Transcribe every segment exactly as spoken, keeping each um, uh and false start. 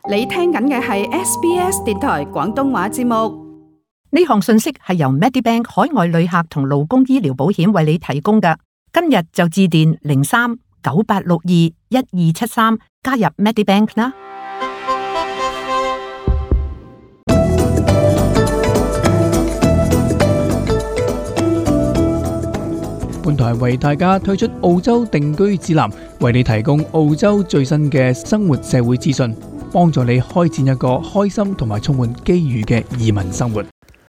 你聽緊嘅係 S B S 電台廣東話節目。呢項信息係由 Medibank 海外旅客同勞工醫療保險為你提供嘅。今日就致電零三九八六二一二七三加入 Medibank 啦。本台為大家推出澳洲定居指南，為你提供澳洲最新嘅生活社會資訊，幫助你開展一個開心同埋充滿機遇嘅移民生活。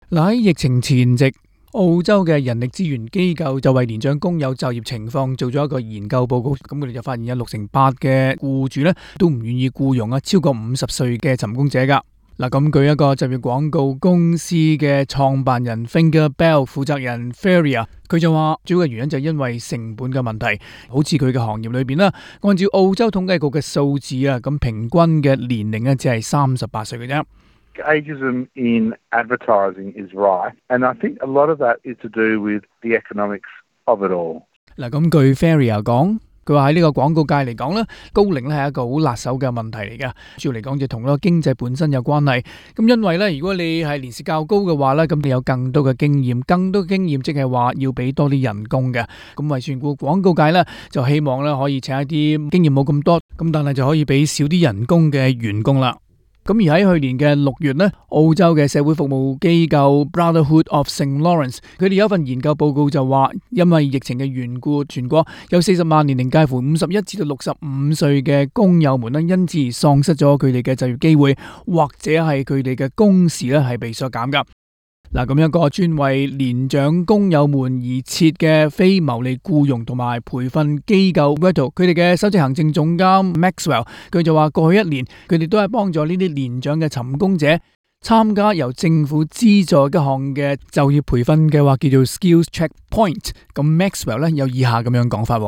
嗱，喺疫情前夕，澳洲嘅人力資源機構就為年長工友就業情況做咗一個研究報告，咁佢哋就發現有六成八嘅僱主咧都唔願意僱傭啊超過五十歲嘅尋工者噶。嗱，咁據一個就業廣告公司嘅創辦人 Finger Bell 負責人 Feria， 佢就話主要嘅原因就係因為成本嘅問題。好似佢嘅行業裏邊啦，按照澳洲統計局嘅數字啊，咁平均嘅年齡咧只係三十八歲嘅啫。Ageism in advertising is right, and I think a lot of that is to do with the economics of it all. 嗱，咁據 Feria 講，佢話喺呢個廣告界嚟講咧，高齡咧係一個好辣手嘅問題嚟嘅。主要嚟講就同嗰個經濟本身有關係。咁因為咧，如果你係年事較高嘅話咧，咁你有更多嘅經驗，更多經驗即係話要俾多啲人工嘅。咁為全顧廣告界咧，就希望咧可以請一啲經驗冇咁多，咁但係就可以俾少啲人工嘅員工啦。咁而喺去年嘅六月呢，澳洲嘅社會服務機構 Brotherhood of Saint Lawrence， 佢哋有一份研究報告就話，因為疫情嘅緣故，全國有四十萬年齡介乎五十一至到六十五歲嘅工友們呢，因此而喪失咗佢哋嘅就業機會，或者係佢哋嘅工時呢係被削減噶。嗱，咁一個專為年長工友們而設嘅非牟利僱傭同埋培訓機構 Vettle， 佢哋嘅首席行政總監 Maxwell， 佢就話過去一年佢哋都係幫助呢啲年長嘅尋工者參加由政府資助一項嘅就業培訓計劃，叫做 Skills Checkpoint。咁 Maxwell 咧有以下咁樣講法。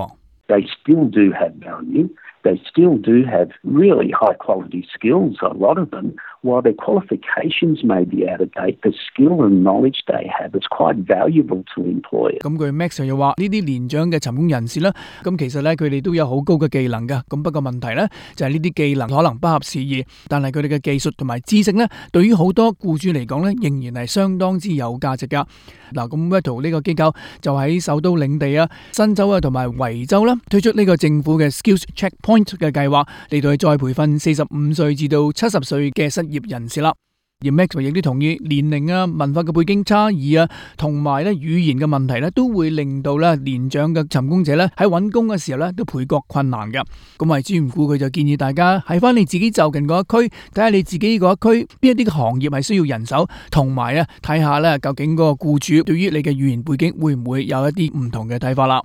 They still do have value. They still do have really high quality skills, a lot of them. While their qualifications may be out of date, the skill and knowledge they have is quite valuable to employers. 咁佢 Max 又話呢啲年長嘅尋工人士咧，咁其實咧佢哋都有好高嘅技能噶。咁不過問題咧就係呢啲技能可能不合時宜，但係佢哋嘅技術同埋知識咧，對於好多僱主嚟講咧，仍然係相當之有價值噶。嗱，咁 Vettle 呢個機構就喺首都領地啊、新州啊同埋維州啦，推出呢個政府嘅 Skills Checkpoint 嘅計劃嚟到去再培訓四十五歲至到七十歲嘅失業人士啦。而 Max 亦都同意年齡啊、文化嘅背景差異啊，同埋咧語言嘅問題咧，都會令到咧年長嘅尋工者咧喺揾工嘅時候咧都倍覺困難嘅。咁為之唔顧，佢就建議大家喺翻你自己就近嗰一區，睇下你自己嗰一區邊一啲嘅行業係需要人手，同埋咧睇下咧究竟嗰個僱主對於你嘅語言背景會唔會有一啲唔同嘅睇法啦。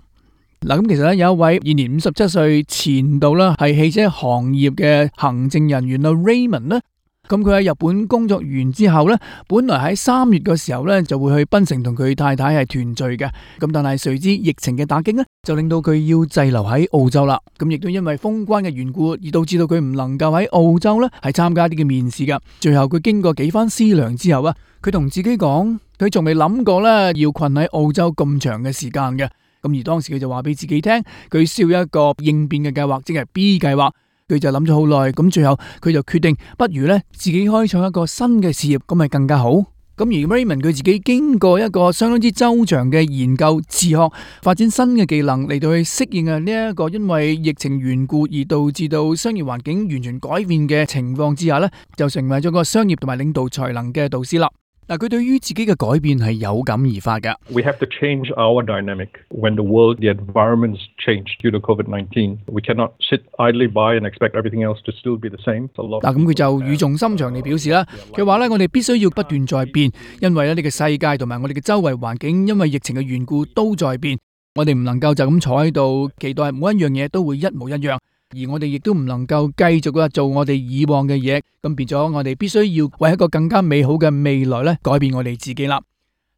嗱，咁其實咧有一位現年五十七歲前度啦，係汽車行業嘅行政人員啊 Raymond 咧。咁佢喺日本工作完之後呢，本來喺三月嘅時候呢就會去檳城同佢太太係團聚嘅。咁但係誰知疫情嘅打擊呢，就令到佢要滯留喺澳洲啦。咁亦都因為封關嘅緣故，而導致到佢唔能夠喺澳洲呢係參加啲嘅面試噶。最後佢經過幾番思量之後啊，佢同自己講，佢仲未諗過呢要困喺澳洲咁長嘅時間嘅。咁而當時佢就話俾自己聽，佢需要一個應變嘅計劃，即係 B 計劃。佢就諗咗好耐，咁最後佢就決定，不如咧自己開創一個新嘅事業，咁咪更加好。咁而 Raymond 佢自己經過一個相當之周詳嘅研究、自學、發展新嘅技能嚟到去適應啊呢一個因為疫情緣故而導致到商業環境完全改變嘅情況之下咧，就成為咗個商業同埋領導才能嘅導師啦。嗱，佢對於自己嘅改變係有感而發㗎。We have to change our dynamic when the world, the environments change due to COVID nineteen. We cannot sit idly by and expect everything else to still be the same. 嗱，咁佢就語重心長地表示啦，佢話咧，我哋必須要不斷在變，因為咧呢個世界同埋我哋嘅周圍環境，因為疫情嘅緣故都在變。我哋唔能夠就咁坐喺度，期待每一樣嘢都會一模一樣。而我哋亦都唔能夠繼續啊做我哋以往嘅嘢，咁變咗我哋必須要為一個更加美好嘅未來咧改變我哋自己啦。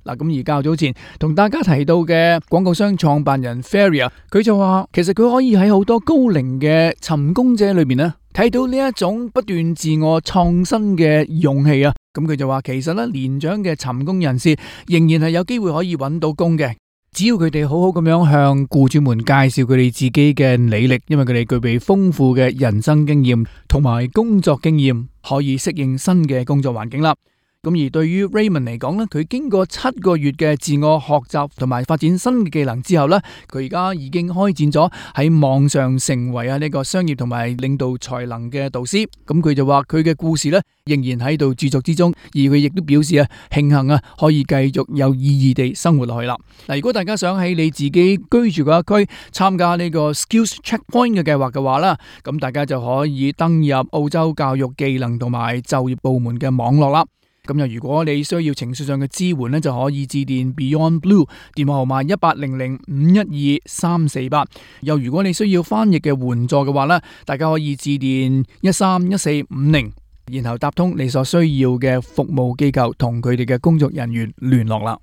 嗱，咁而較早前同大家提到嘅廣告商創辦人 Feria， 佢就話其實佢可以喺好多高齡嘅尋工者裏面咧睇到呢一種不斷自我創新嘅勇氣啊。咁佢就話其實咧年長嘅尋工人士仍然係有機會可以揾到工嘅。只要佢哋好好咁樣向僱主們介紹佢哋自己嘅履歷，因為佢哋具備豐富嘅人生經驗同埋工作經驗，可以適應新嘅工作環境啦。咁而對於 Raymond 嚟講咧，佢經過七個月嘅自我學習同埋發展新嘅技能之後咧，佢而家已經開展咗喺網上成為啊呢個商業同埋領導才能嘅導師。咁佢就話佢嘅故事咧仍然喺度著作之中，而佢亦都表示啊慶幸啊可以繼續有意義地生活落去啦。嗱，如果大家想喺你自己居住嗰一區參加呢個 Skills Checkpoint 嘅計劃嘅話啦，咁大家就可以登入澳洲教育技能同埋就業部門嘅網絡啦。咁又如果你需要情緒上嘅支援呢，就可以致電 Beyond Blue 電話號碼一八零零五一二三四八。又如果你需要翻譯嘅援助嘅話呢，大家可以致電一三一四五零，然後搭通你所需要嘅服務機構，同佢哋嘅工作人員聯絡啦。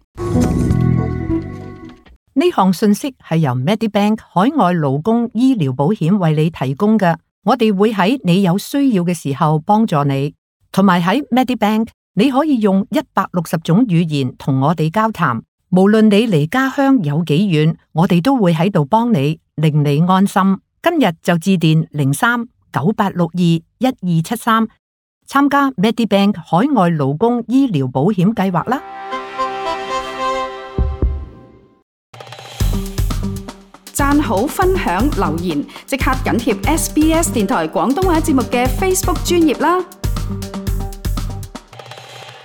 呢項信息係由 Medibank 海外勞工醫療保險為你提供嘅，我哋會喺你有需要嘅時候幫助你，同埋喺 Medibank。你可以用一百六十種語言同我哋交談，無論你離家鄉有幾遠，我哋都會喺度幫你，令你安心。今日就致電零三九八六二一二七三，參加 Medibank 海外勞工醫療保險計劃啦。讚好、分享、留言，即刻緊貼 S B S 電台廣東話節目嘅 Facebook 專頁啦。